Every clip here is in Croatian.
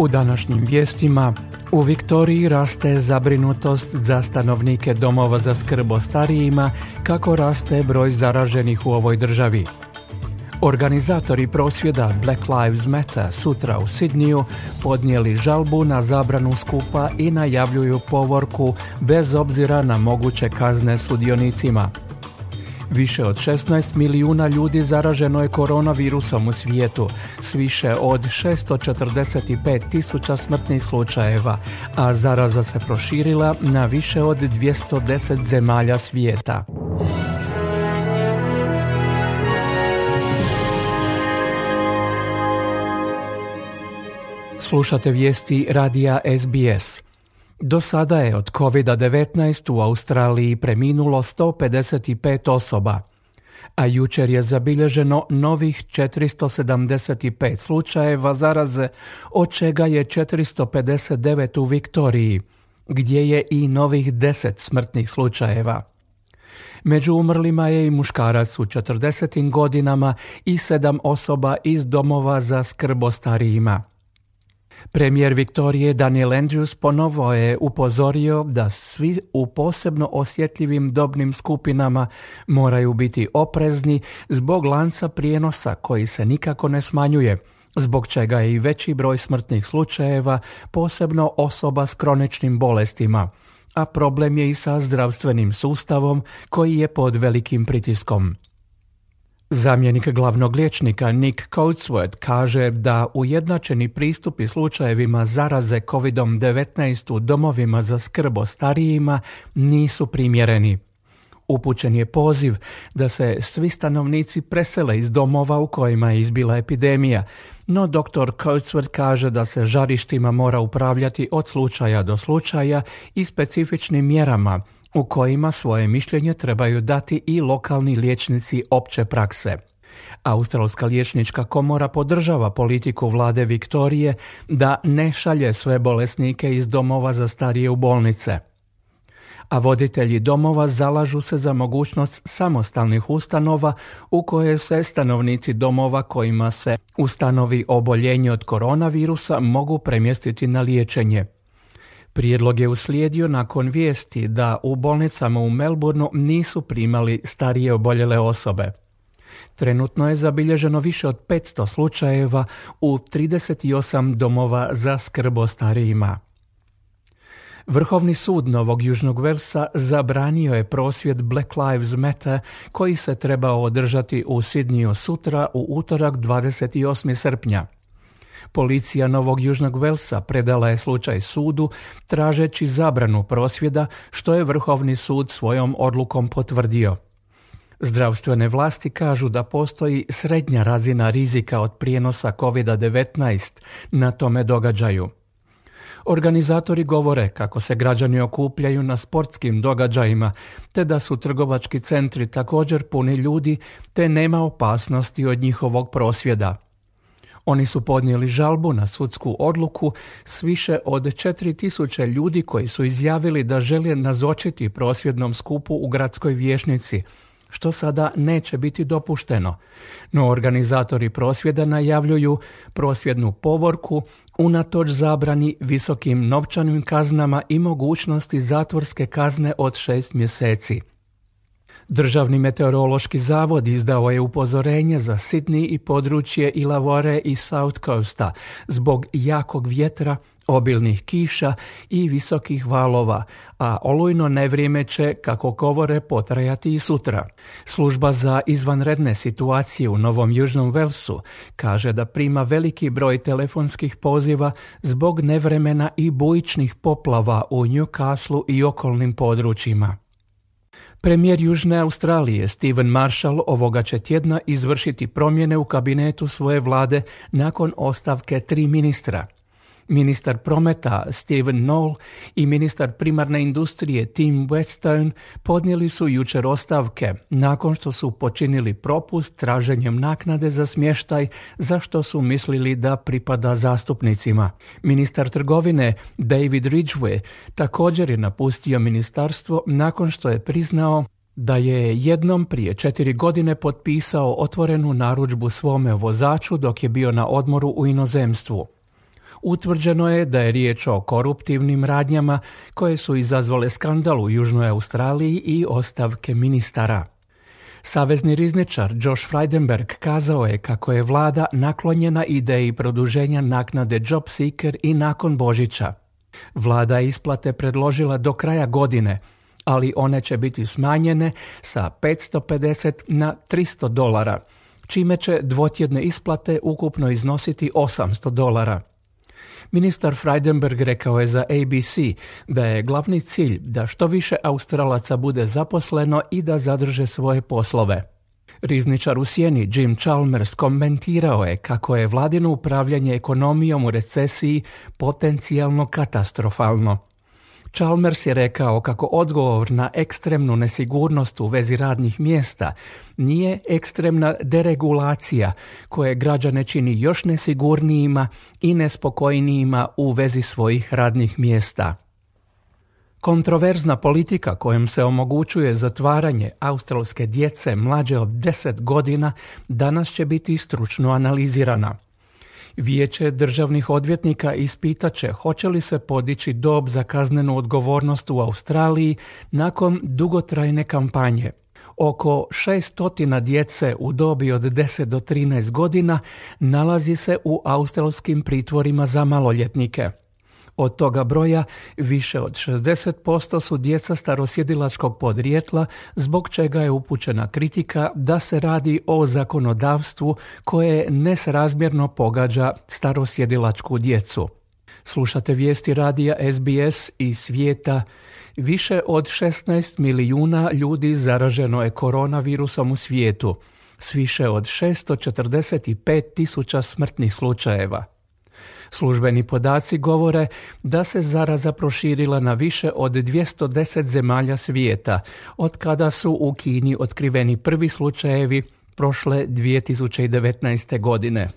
U današnjim vijestima u Viktoriji raste zabrinutost za stanovnike domova za skrb o starijima kako raste broj zaraženih u ovoj državi. Organizatori prosvjeda Black Lives Matter sutra u Sidniju podnijeli žalbu na zabranu skupa i najavljuju povorku bez obzira na moguće kazne sudionicima. Više od 16 milijuna ljudi zaraženo je koronavirusom u svijetu, s više od 645 tisuća smrtnih slučajeva, a zaraza se proširila na više od 210 zemalja svijeta. Slušate vijesti radija SBS. Do sada je od COVID-19 u Australiji preminulo 155 osoba, a jučer je zabilježeno novih 475 slučajeva zaraze, od čega je 459 u Viktoriji, gdje je i novih 10 smrtnih slučajeva. Među umrlima je i muškarac u 40 godinama i 7 osoba iz domova za skrb o starijima. Premijer Viktorije Daniel Andrews ponovo je upozorio da svi u posebno osjetljivim dobnim skupinama moraju biti oprezni zbog lanca prijenosa koji se nikako ne smanjuje, zbog čega je i veći broj smrtnih slučajeva, posebno osoba s kroničnim bolestima, a problem je i sa zdravstvenim sustavom koji je pod velikim pritiskom. Zamjenik glavnog liječnika Nick Coatsworth kaže da ujednačeni pristupi slučajevima zaraze COVID-19 u domovima za skrb o starijima nisu primjereni. Upućen je poziv da se svi stanovnici presele iz domova u kojima je izbila epidemija, no dr. Coatsworth kaže da se žarištima mora upravljati od slučaja do slučaja i specifičnim mjerama, u kojima svoje mišljenje trebaju dati i lokalni liječnici opće prakse. Australska liječnička komora podržava politiku vlade Viktorije da ne šalje sve bolesnike iz domova za starije u bolnice. A voditelji domova zalažu se za mogućnost samostalnih ustanova u koje se stanovnici domova kojima se ustanovi oboljenje od koronavirusa mogu premjestiti na liječenje. Prijedlog je uslijedio nakon vijesti da u bolnicama u Melbourneu nisu primali starije oboljele osobe. Trenutno je zabilježeno više od 500 slučajeva u 38 domova za skrb o starijima. Vrhovni sud Novog Južnog Velsa zabranio je prosvjed Black Lives Matter koji se trebao održati u Sidniju sutra u utorak 28. srpnja. Policija Novog Južnog Velsa predala je slučaj sudu tražeći zabranu prosvjeda, što je Vrhovni sud svojom odlukom potvrdio. Zdravstvene vlasti kažu da postoji srednja razina rizika od prijenosa COVID-19 na tome događaju. Organizatori govore kako se građani okupljaju na sportskim događajima, te da su trgovački centri također puni ljudi, te nema opasnosti od njihovog prosvjeda. Oni su podnijeli žalbu na sudsku odluku s više od 4000 ljudi koji su izjavili da žele nazočiti prosvjednom skupu u gradskoj vijećnici, što sada neće biti dopušteno. No organizatori prosvjeda najavljuju prosvjednu povorku unatoč zabrani, visokim novčanim kaznama i mogućnosti zatvorske kazne od 6 mjeseci. Državni meteorološki zavod izdao je upozorenje za Sydney i područje Illawarre i South Coasta zbog jakog vjetra, obilnih kiša i visokih valova, a olujno nevrijeme će, kako govore, potrajati i sutra. Služba za izvanredne situacije u Novom Južnom Velsu kaže da prima veliki broj telefonskih poziva zbog nevremena i bujičnih poplava u Newcastleu i okolnim područjima. Premijer Južne Australije Stephen Marshall ovoga će tjedna izvršiti promjene u kabinetu svoje vlade nakon ostavke 3 ministra. Ministar prometa Stephen Knoll i ministar primarne industrije Tim Whetstone podnijeli su jučer ostavke nakon što su počinili propust traženjem naknade za smještaj, za što su mislili da pripada zastupnicima. Ministar trgovine David Ridgway također je napustio ministarstvo nakon što je priznao da je jednom prije 4 godine potpisao otvorenu narudžbu svome vozaču dok je bio na odmoru u inozemstvu. Utvrđeno je da je riječ o koruptivnim radnjama koje su izazvale skandal u Južnoj Australiji i ostavke ministara. Savezni rizničar Josh Frydenberg kazao je kako je vlada naklonjena ideji produženja naknade Job Seeker i nakon Božića. Vlada je isplate predložila do kraja godine, ali one će biti smanjene sa $550 na $300, čime će dvotjedne isplate ukupno iznositi $800. Ministar Frydenberg rekao je za ABC da je glavni cilj da što više Australaca bude zaposleno i da zadrže svoje poslove. Rizničar u sjeni Jim Chalmers komentirao je kako je vladino upravljanje ekonomijom u recesiji potencijalno katastrofalno. Chalmers je rekao kako odgovor na ekstremnu nesigurnost u vezi radnih mjesta nije ekstremna deregulacija koje građane čini još nesigurnijima i nespokojnijima u vezi svojih radnih mjesta. Kontroverzna politika kojom se omogućuje zatvaranje australske djece mlađe od 10 godina danas će biti stručno analizirana. Vijeće državnih odvjetnika ispitat će hoće li se podići dob za kaznenu odgovornost u Australiji nakon dugotrajne kampanje. Oko 600 djece u dobi od 10 do 13 godina nalazi se u australskim pritvorima za maloljetnike. Od toga broja više od 60% su djeca starosjedilačkog podrijetla, zbog čega je upućena kritika da se radi o zakonodavstvu koje nesrazmjerno pogađa starosjedilačku djecu. Slušate vijesti radija SBS iz svijeta. Više od 16 milijuna ljudi zaraženo je koronavirusom u svijetu, s više od 645.000 smrtnih slučajeva. Službeni podaci govore da se zaraza proširila na više od 210 zemalja svijeta, od kada su u Kini otkriveni prvi slučajevi prošle 2019. godine.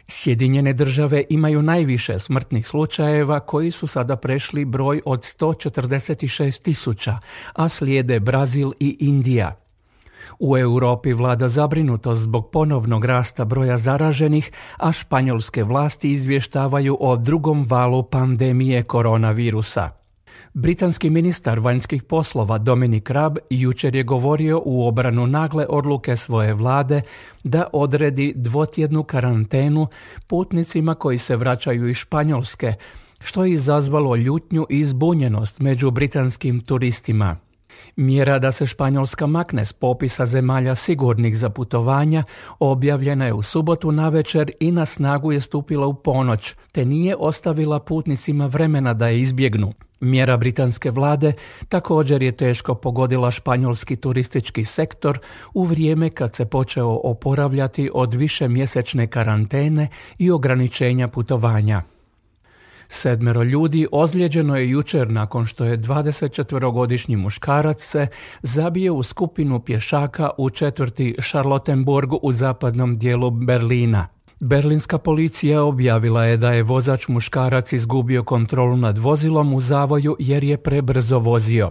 Sjedinjene države imaju najviše smrtnih slučajeva koji su sada prešli broj od 146.000, a slijede Brazil i Indija. U Europi vlada zabrinutost zbog ponovnog rasta broja zaraženih, a španjolske vlasti izvještavaju o drugom valu pandemije koronavirusa. Britanski ministar vanjskih poslova Dominic Raab jučer je govorio u obranu nagle odluke svoje vlade da odredi dvotjednu karantenu putnicima koji se vraćaju iz Španjolske, što je izazvalo ljutnju i zbunjenost među britanskim turistima. Mjera da se Španjolska makne s popisa zemalja sigurnih za putovanja objavljena je u subotu navečer i na snagu je stupila u ponoć, te nije ostavila putnicima vremena da je izbjegnu. Mjera britanske vlade također je teško pogodila španjolski turistički sektor u vrijeme kad se počeo oporavljati od višemjesečne karantene i ograničenja putovanja. 7 ljudi ozlijeđeno je jučer nakon što je 24-godišnji muškarac se zabio u skupinu pješaka u četvrti Charlottenburg u zapadnom dijelu Berlina. Berlinska policija objavila je da je vozač muškarac izgubio kontrolu nad vozilom u zavoju jer je prebrzo vozio.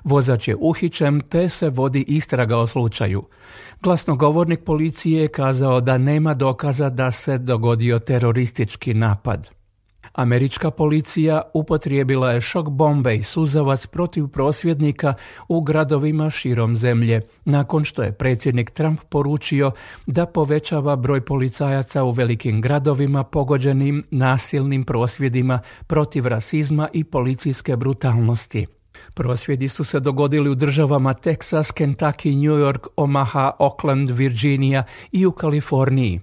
Vozač je uhićen te se vodi istraga o slučaju. Glasnogovornik policije je kazao da nema dokaza da se dogodio teroristički napad. Američka policija upotrijebila je šok bombe i suzavac protiv prosvjednika u gradovima širom zemlje, nakon što je predsjednik Trump poručio da povećava broj policajaca u velikim gradovima pogođenim nasilnim prosvjedima protiv rasizma i policijske brutalnosti. Prosvjedi su se dogodili u državama Texas, Kentucky, New York, Omaha, Oakland, Virginia i u Kaliforniji.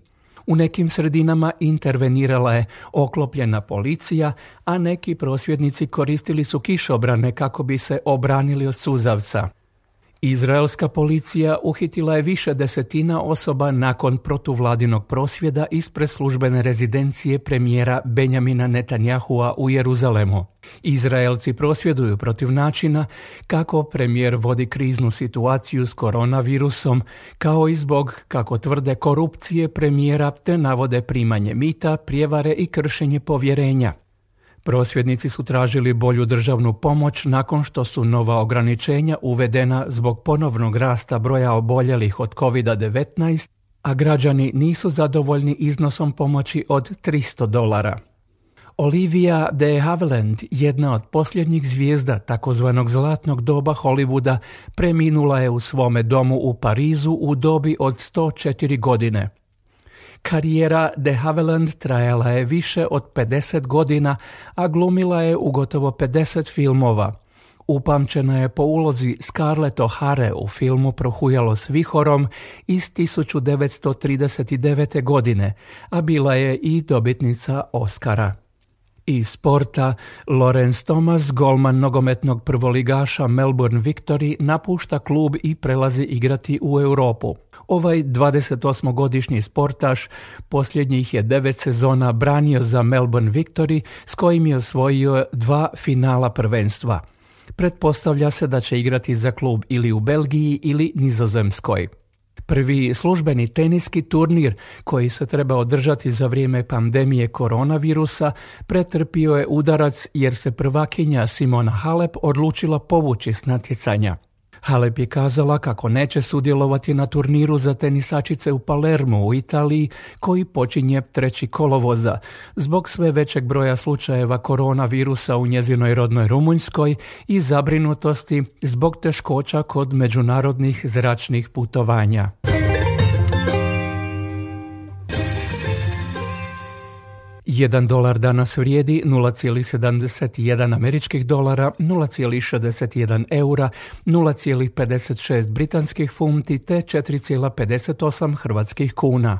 U nekim sredinama intervenirala je oklopljena policija, a neki prosvjednici koristili su kišobrane kako bi se obranili od suzavca. Izraelska policija uhitila je više desetina osoba nakon protuvladinog prosvjeda ispred službene rezidencije premijera Benjamina Netanyahua u Jeruzalemu. Izraelci prosvjeduju protiv načina kako premijer vodi kriznu situaciju s koronavirusom, kao i zbog, kako tvrde, korupcije premijera te navode primanje mita, prijevare i kršenje povjerenja. Prosvjednici su tražili bolju državnu pomoć nakon što su nova ograničenja uvedena zbog ponovnog rasta broja oboljelih od COVID-19, a građani nisu zadovoljni iznosom pomoći od $300. Olivia de Havilland, jedna od posljednjih zvijezda takozvanog zlatnog doba Hollywooda, preminula je u svome domu u Parizu u dobi od 104 godine. Karijera de Havilland trajala je više od 50 godina, a glumila je u gotovo 50 filmova. Upamćena je po ulozi Scarlett O'Hare u filmu Prohujalo s vihorom iz 1939. godine, a bila je i dobitnica Oscara. Iz sporta, Lawrence Thomas, golman nogometnog prvoligaša Melbourne Victory, napušta klub i prelazi igrati u Europu. Ovaj 28-godišnji sportaš posljednjih je 9 sezona branio za Melbourne Victory, s kojim je osvojio 2 finala prvenstva. Pretpostavlja se da će igrati za klub ili u Belgiji ili Nizozemskoj. Prvi službeni teniski turnir koji se treba održati za vrijeme pandemije koronavirusa pretrpio je udarac jer se prvakinja Simona Halep odlučila povući s natjecanja. Halep je kazala kako neće sudjelovati na turniru za tenisačice u Palermu u Italiji koji počinje 3. kolovoza zbog sve većeg broja slučajeva koronavirusa u njezinoj rodnoj Rumunjskoj i zabrinutosti zbog teškoća kod međunarodnih zračnih putovanja. $1 danas vrijedi 0,71 američkih dolara, 0,61 eura, 0,56 britanskih funti te 4,58 hrvatskih kuna.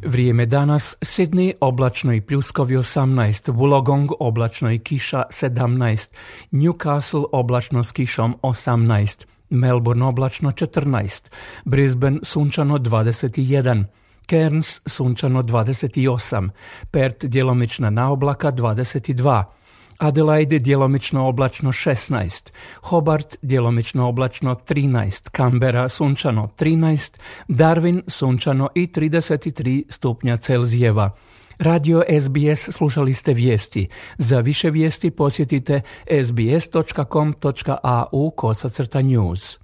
Vrijeme danas: Sydney oblačno i pljuskovi 18, Wollongong oblačno i kiša 17, Newcastle oblačno s kišom 18, Melbourne oblačno 14, Brisbane sunčano 21, Cairns sunčano 28, Perth djelomična naoblaka 22, Adelaide djelomično oblačno 16, Hobart djelomično oblačno 13, Canberra sunčano 13, Darwin sunčano i 33 stupnja Celzijeva. Radio SBS slušali ste vijesti. Za više vijesti posjetite sbs.com.au/news.